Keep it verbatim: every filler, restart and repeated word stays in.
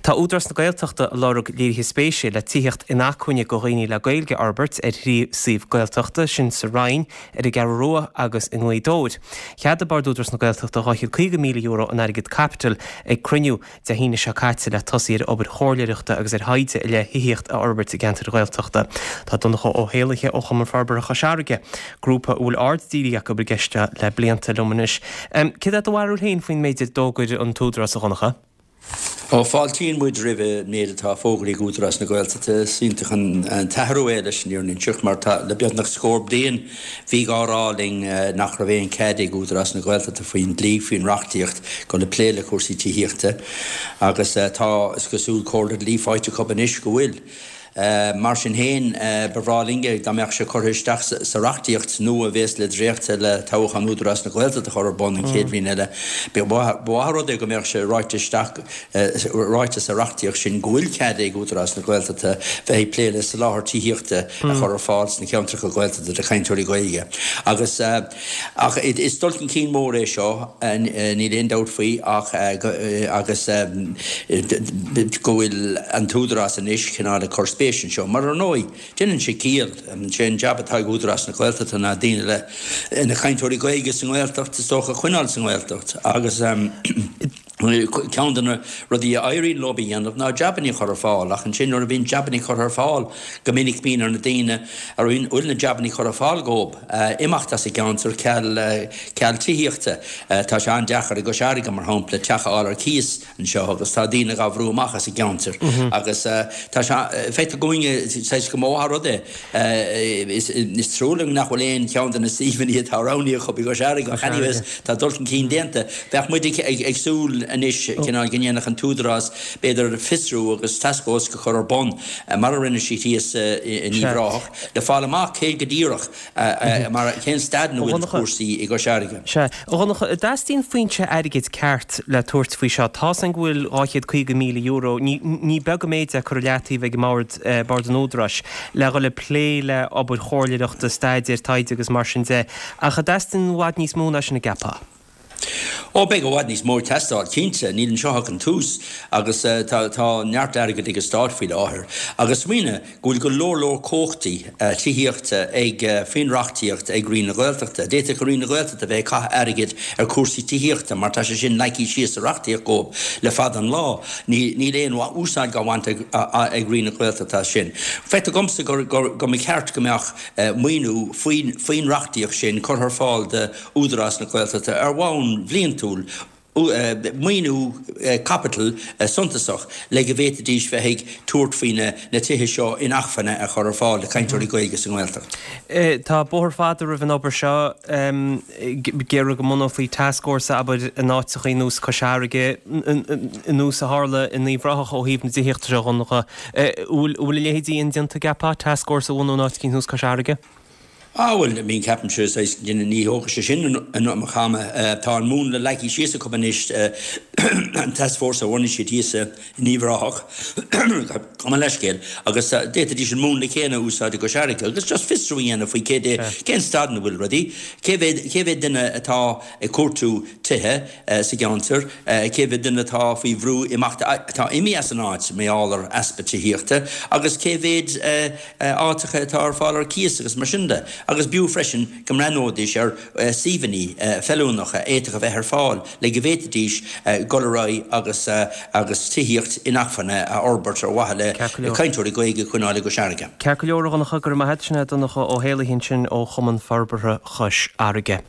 Tá Údarás na Gaeltachta ag lorg léirithe spéise le tithíocht inacmhainne do dhaoine le Gaeilge a fhorbairt ar thrí suíomh Gaeltachta, sin sa Rinn, ar an gCeathrú Rua agus i nGaoth Dobhair. Cheadaigh Bord Údarás na Gaeltachta dhá chéad caoga míle euro in airgead caipitil ag cruinniú Dé hAoine seo caite le tosaí ar obair chomhairleoireachta agus ar thaighde i leith thithíocht a fhorbairt i gceantair Ghaeltachta. Tá Donncha Ó hÉallaithe ó Chumann Forbartha Chois Fharraige, grúpa a bhfuil aird dírithe acu ar an gceist seo le blianta, liom anois. Céard é do bharúil féin faoin méid a d'fhógair an tÚdarás, a Dhonncha? Ó, fáiltíonn muid roimh an méid atá fógraithe ag Údarás na Gaeltachta. Is iontach an t-athrú é leis an fhírinne a inseacht mar tá le beagnach scór bliain bhí á rá linn nach raibh aon cead ag Údarás na Gaeltachta faoin dlí, faoin reachtaíocht dul ag plé le cúrsaí tithíochta agus tá, is cosúil, comhairle dlí faighte acu anois go bhfuil. Mar sin féin, ba bhreá linn dá mbeadh sé curtha isteach sa reachtaíocht nua a bhéas le dréachtadh le toghchán Údarás na Gaeltachta a chur ar bun an chéad bhliain eile. Ba mhaith an rud é go mbeadh sé ráite isteach, ráite sa reachtaíocht sin go bhfuil cead ag Údarás na Gaeltachta bheith ag plé le soláthar tithíochta a chur ar fáil sna ceantracha Gaeltachta do chainteoirí Gaeilge. Agus. Ach is dul chun cinn mór é seo, níl aon dabht faoi ach agus go bhfuil an tÚdarás anois cineál ag cur spéis anseo. Mar ar ndóigh, déanann sé ciall, sé an jab atá ag Údarás na Gaeltachta ná daoine le, na cainteoirí Gaeilge sa nGaeltacht is dócha a choinneáil sa nGaeltacht agus ceann de na rudaí a éiríonn leo a dhéanamh ná jabannaí a chur ar fáil ach ansin nuair a bhíonn jabannaí curtha ar fáil go minic bíonn ar na daoine a bhfuil na jabannaí curtha ar fáil dhóibh imeacht as an gceantar ceal ceal tithíochta. Tá sé an-deacair i gCois Fharraige, mar shampla, teach a fháil ar cíos anseo agus tá daoine dhá bhrú amach as an gceantar agus tá sé, feictear dhúinne saghas go mba mhaith an rud é. Is trua linn nach bhfuil aon cheann de na suíomhanna atá roghnaithe acu i gCois Fharraige ach anyways tá dul chun cinn déanta. Bheadh muid ag súil anois cineál go ndéanfadh an tÚdarás b'fhéidir fiosrú agus tascfhórsa a chur ar bun mar a rinne siad thíos in Uíbh Ráthach le fáil amach cé go díreach mar cén staid ina bhfuil cúrsaí i gCois Fharraige. Sea. A Dhonncha, an dteastaíonn foinse airgid ceart le tabhairt faoi seo? Tá's againn go bhfuil dhá chéad caoga míle euro, ní beag an méid é, curtha i leataobh ag an mbord, Bord an Údaráis, le dhul ag plé le obair chomhairleoireachta, staidéir, taighde agus mar sin de. Ach an dteastaíonn i bhfad níos mó ná sin an gceapfá? Ó, beidh i bhfad níos mó ag teastáil, cinnte. Níl anseo ach an tús agus tá tá neart airgid ag an Stát faoi láthair. Agus smaoinigh go bhfuil go leor leor cumhachtaí tithíochta ag, faoin reachtaíocht ag Roinn na Gaeltachta. D'fhéadfadh Roinn na Gaeltachta bheith ag caitheamh airgid ar chúrsaí tithíochta mar tá sé sin leagtha síos sa reachtaíocht dhóibh le fada an lá. Níl aon úsáid dhá bhaint ag ag Roinn na Gaeltachta as sin. Feictear dhomsa gur gur go mba cheart go mbeadh maoiniú faoin faoin reachtaíocht sin curtha ar fáil do Údarás na Gaeltachta ar bhonn bhliantúil, maoiniú caipitil suntasach le go bhféadfaidís bheith ag tabhairt faoi na tithe seo inacmhainne a chur ar fáil do chainteoirí Gaeilge sa nGaeltacht. Tá bóthar fada roimh an obair seo. Ag iarraidh go mbunófaí tascfhórsa, abair, in áiteachaí ar nós Cois Fharraige, ar nós a tharla in Uíbh Ráthach ó thaobh na tithíochta seo, a Dhonncha. An bhfuil a leithéidí indéanta, an gceapfá, tascfhórsa a bhunú in áit eicínt ar nós Cois Fharraige? Ah bhuel, I mean ceapaimse saghas ní thógfaidh sé sin an iomarca ama. Tá an múnla leagtha síos acu anois, an tascfhórsa a bhunaigh siad thíos in Uíbh Ráthach, gabh mo leithscéal, agus d'fhéadfaidís an múnla céanna a úsáid i gCois Fharraige agus just fiosrú a dhéanamh faoi cé cén staid ina bhfuil rudaí, cé mhéad cé mhéad duine atá ag cuartú tithe sa gceantar, cé mhéad duine atá faoi bhrú imeacht, atá imithe as an áit mar gheall ar easpa tithíochta agus cé mhéad áiteacha atá ar fáil ar cíos agus mar sin de, agus b'fhiú freisin go mbreathnóidís ar suíomhanna feiliúnacha a fhéadfadh a bheith ar fáil le go bhféadfaidís dul ar aghaidh agus agus tithíocht inacmhainne a fhorbairt ar mhaithe le cainteoirí Gaeilge a choinneáil i gCois Fharraige. Ceart go leor, a Dhonncha, go raibh maith agat. Sin é Donncha Ó hÉallaithe ansin ó Chumann Forbartha Chois Fharraige.